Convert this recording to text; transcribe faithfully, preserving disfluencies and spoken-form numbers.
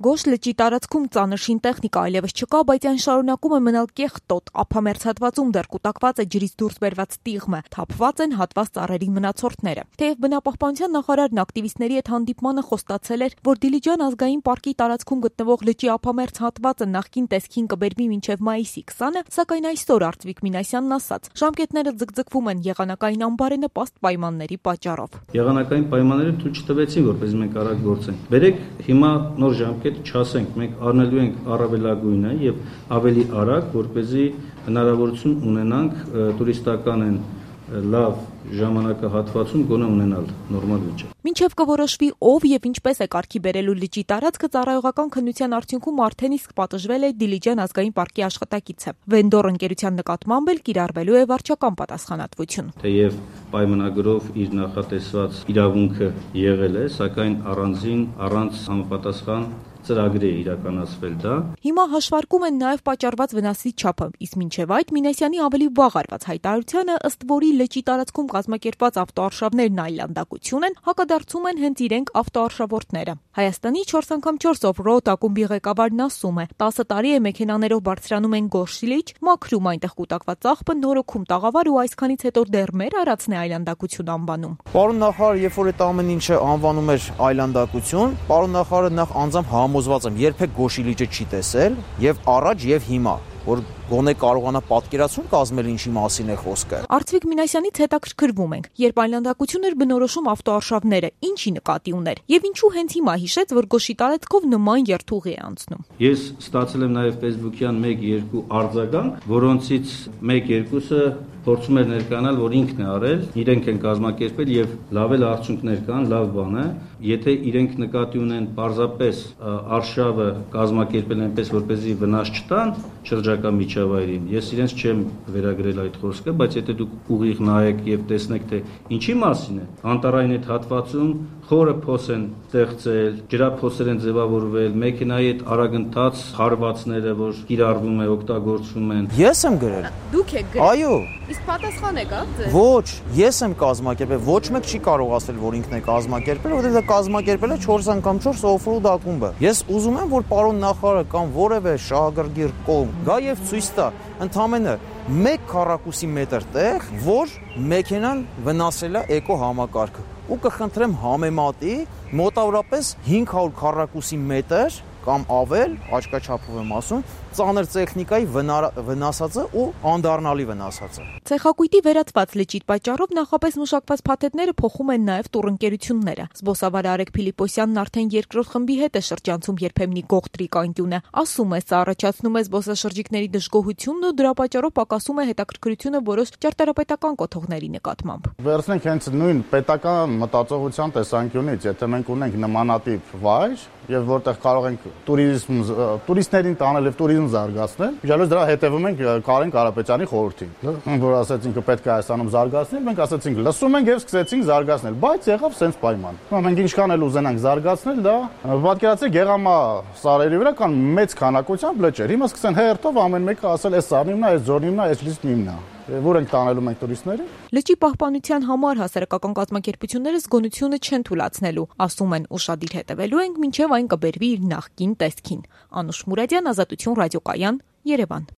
Գոշ լճի տարածքում ծանր շինտեխնիկա այլևս չկա, բայց այն շարունակում է մնալ կեղտոտ, ափամերձ հատվածում դեռ կուտակված է ջրից դուրս բերված տիղմը, թափված են հատված ծառերի մնացորդները։ Թեև բնապահպանության նախարարն ակտիվիստների հետ հանդիպմանը խոստացել էր, որ Դիլիջան ազգային պարկի տարածքում գտնվող լճի ափամերձ հատվածը նախկին տեսքին կբերվի մինչև մայիսի քսանը, սակայն այսօր Արծվիկ Մինասյանն ասաց, ժամկետները ձգձգվում են եղանակային անբարենպաստ պայմանների պատճառով։ Եղանակային պայմանները թույլ չտվեցին, որպես մենք արագ գործենք։ Բերեք հիմա նոր ժամկետ չասենք, մենք առնելու ենք առավելագույնը եւ ավելի արագ, որպեսզի հնարավորություն ունենանք տուրիստական են լավ ժամանակահատվածում գոնե ունենալ նորմալ վիճակ։ Մինչև կորոշվի ով եւ ինչպես է կարգի բերելու լճի տարածքը, ծառայողական քննության արդյունքում արդեն իսկ պատժվել է Դիլիջան ազգային պարկի աշխատակիցը։ Վենդոր ընկերության նկատմամբ էլ կիրառվելու է վարչական պատասխանատվություն։ Թեև պայմանագրով իր նախատեսված իրավունքը եղել է, սակայն առանձին առանց համապատասխան ծրագրի է իրականացվել դա։ Հիմա հաշվարկում են նաև պատճառված վնասի չափը, իսկ մինչև այդ Մինասյանի ավելի վաղ արված հայտարարությանը, ըստ որի լճի տարածքում կազմակերպված ավտոարշավներն այլանդակություն են, հակադարձում են հենց իրենք ավտոարշավորդները։ Հայաստանի չորս անգամ չորս օֆ-ռոդ ակումբի ղեկավարն ասում է, տասը տարի է մեքենաներով բարձրանում են Գոշ լիճ, մաքրում այնտեղ կուտակված աղբը, նորոգում տաղավար ու այսքանից հետո դեռ մեր արածն է այլանդակություն անվանում։ Պարոն նախարար, երբ որ այդ ամեն ինչը անվանում էր այլանդակություն, պարոն նախարարը նախ անձամբ համոզված եմ, երբեք Գոշի լիճը չի տեսել, եւ առաջ եւ հիմա, որ գոնե կարողանա պատկերացում կազմել ինչի մասին է խոսքը։ Արծվիկ Մինասյանից հետաքրքրվում ենք, երբ այլանդակություն էր բնորոշում ավտոարշավները, ինչի նկատի ուներ եւ ինչու հենց հիմա հիշեց, որ Գոշի տարածքով նման երթուղի է անցնում։ Ես ստացել եմ նաեւ Facebook-յան մեկ-երկու արձագանք, որոնցից մեկ-երկուսը փորձում էր ներկանալ, որ ինքն է արել, իրենք են կազմակերպել եւ լավ էլ արդյունքներ կան, լավ բան է։ Եթե իրենք նկատի ունեն պարզապես արշավը կազմակերպել այնպես, որպեսզի վնաս չտան շրջակա միջավայրին, ես իրենց չեմ վերագրել այդ խոսքը, բայց եթե դուք ուղիղ նայեք եւ տեսնեք, թե ինչի մասին է, անտառային այդ հատվածում խորը փոս են ստեղծել, ջրափոսեր են ձևավորվել, մեքենայի այդ արագընթաց խարվածները, որ կիրառվում է, օգտագործվում են։ Ես եմ գրել։ Դուք եք գրել։ Այո։ Իսկ պատասխան եք ա՞լ։ Ոչ, ես եմ կազմակերպել, ոչ մեկ չի կարող ասել, որ ինքն է կազմակերպել, որովհետեւ դա կազմակերպել է չորս անգամ չորս օֆ-ռոդ ակումբը։ Ես ուզում եմ, որ պարոն նախարարը կամ որևէ շահագրգիռ կողմ գա եւ ցույց տա, ընդամենը մեկ քառակուսի մետր տեղ, որ մեքենան վնասել է էկո համակարգը։ Ու կխնդրեմ համեմատի մոտավորապես հինգ հարյուր քառակուսի մետր կամ ավել, աչքաչափով եմ ասում, ծանր տեխնիկայի վնասածը ու անդառնալի վնասածը։ Ցեխակույտի վերածված լճի պատճառով նախապես մշակված փաթեթները փոխում են նաև տուրընկերությունները։ Զբոսավար Արեգ Փիլիպոսյանն արդեն երկրորդ խմբի հետ է շրջանցում երբեմնի գողտրիկ անկյունը։ Ասում է, սա առաջացնում է զբոսաշրջիկների դժգոհությունն ու դրա պատճառով պակասում է հետաքրքրությունը որոշ ճարտարապետական կոթողների նկատմամբ։ Վերցնենք հենց նույն պետական մտածողության տեսանկյունից, եթե մենք ունենք նմանատիպ վայր, եւ որտեղ կարող ենք տուրիզմ տուրիստներին տանել եւ տուրիզմ զարգացնել, յալոց դրա հետևում ենք Կարեն Կարապետյանի խորհրդին, որ ասեց ինքը պետք է Հայաստանում զարգացնել, մենք ասեցինք լսում ենք եւ սկսեցինք զարգացնել, բայց եղավ սենց պայման։ Հիմա մենք ինչքան էլ ուզենանք զարգացնել, դա պատկերացրեք Գեղամա սարերի վրա կան մեծ քանակությամբ լճեր։ Հիմա սկսեն հերթով ամեն մեկը ասել էս սարն իմն է, էս ձորն իմն է, էս լիստն իմն է։ Որ ենք տանելու մենք տուրիստներին։ Լճի պահպանության համար հասարակական կազմակերպությունները զգոնությունը չեն թույլատնելու, ասում են, ուշադիր հետևելու ենք, մինչև այն կբերվի իր նախկին տեսքին։ Անուշ Մուրադյան, Ազատություն ռադիոկայան, Երևան։